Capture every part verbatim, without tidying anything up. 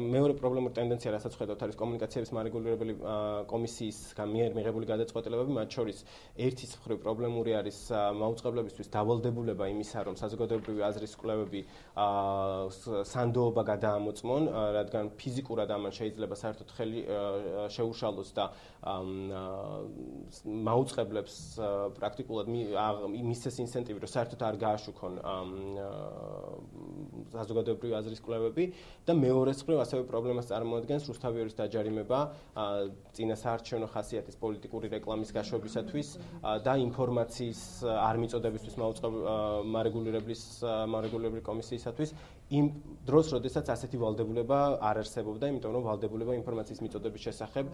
მეორე პრობლემური ტენდენცია, რასაც ხედავთ, არის კომუნიკაციების მარეგულირებელი კომისიის მიერ მიღებული გადაწყვეტილებები, მათ შორის ერთის მხრივ პრობლემური არის მაუწყებლებისთვის დავალდებულება იმისა, რომ საზოგადოებრივი აზრის კვლევები სანდოობა გადაამოწმონ, რადგან ფიზიკურად ამან შეიძლება საერთოდ ხელი შეუშალოს და მაუწყებლებს პრაქტიკულად მისცეს ინცენტივი, რომ საერთოდ არ გააშუქონ საზოგადოებრივი აზრის კვლევები და მეორეს მხრივ ასევე პრობლემას წარმოადგენს რუსთავიორის დაჯარიმება წინასაარჩევნო ხასიათის პოლიტიკური რეკლამის გაშვებისათვის და ინფორმაციის არ მიწოდებისთვის მარეგულირებლის მარეგულირებლის კომისიისათვის იმ დროს, როდესაც ასეთი ვალდებულება არ არსებობდა, იმიტომ რომ ვალდებულება ინფორმაციის მიწოდების შესახებ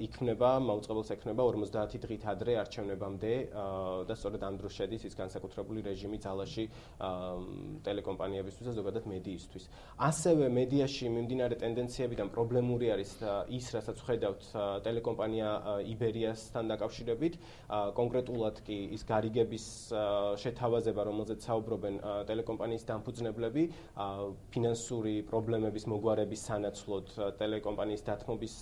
იქმნება, მაუწყებელს ექნება ორმოცდაათი დღით ადრე არჩევნებამდე და სწორედ ამ დროს შედის ის განსაკუთრებული რეჟიმი ძალაში ტელეკომპანიებისთვის და ზოგადად მედიისთვის. ასევე მედიაში მიმდინარე ტენდენციებიდან პრობლემური არის ის, რასაც ვხედავთ ტელეკომპანია იბერიასთან დაკავშირებით, კონკრეტულად კი ის გარიგების შეთავაზება, რომელზეც საუბრობენ ტელეკომპანიის დამფუძნებლები, ფინანსური პრობლემების მოგვარების სანაცვლოდ ტელეკომპანიის დათმობის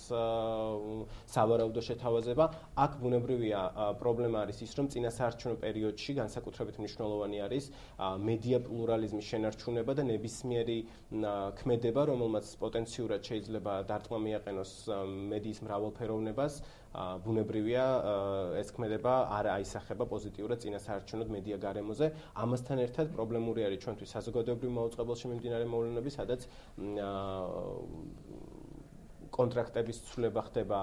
სავარაუდო შეთავაზება. აქ ბუნებრივია პრობლემა არის ის, რომ წინასაარჩევნო პერიოდში განსაკუთრებით მნიშვნელოვანი არის მედია პლურალიზმის შენარჩუნება და ნებისმიერი ქმედება, რომელმაც პოტენციურად შეიძლება დარტყმა მიაყენოს მედიის მრავალფეროვნებას, ბუნებრივია ეს ქმედება არ აისახება პოზიტიურად წინასაარჩევნო მედია გარემოზე. ამასთან ერთად პრობლემური არის ჩვენთვის საზოგადოებრივ მაუწყებელში მიმდინარე მოვლენები, სადაც კონტრაქტების ცვლილება ხდება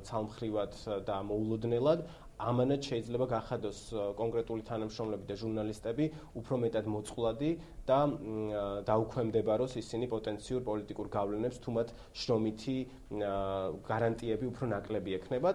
ცალმხრივად და მოულოდნელად. ამანაც შეიძლება გახადოს კონკრეტული თანამშრომლები და ჟურნალისტები უფრო მეტად მოწყვლადი და დაუქვემდებაროს ისინი პოტენციურ პოლიტიკურ გავლენებს, თუ მათ შრომითი გარანტიები უფრო ნაკლები ექნებათ.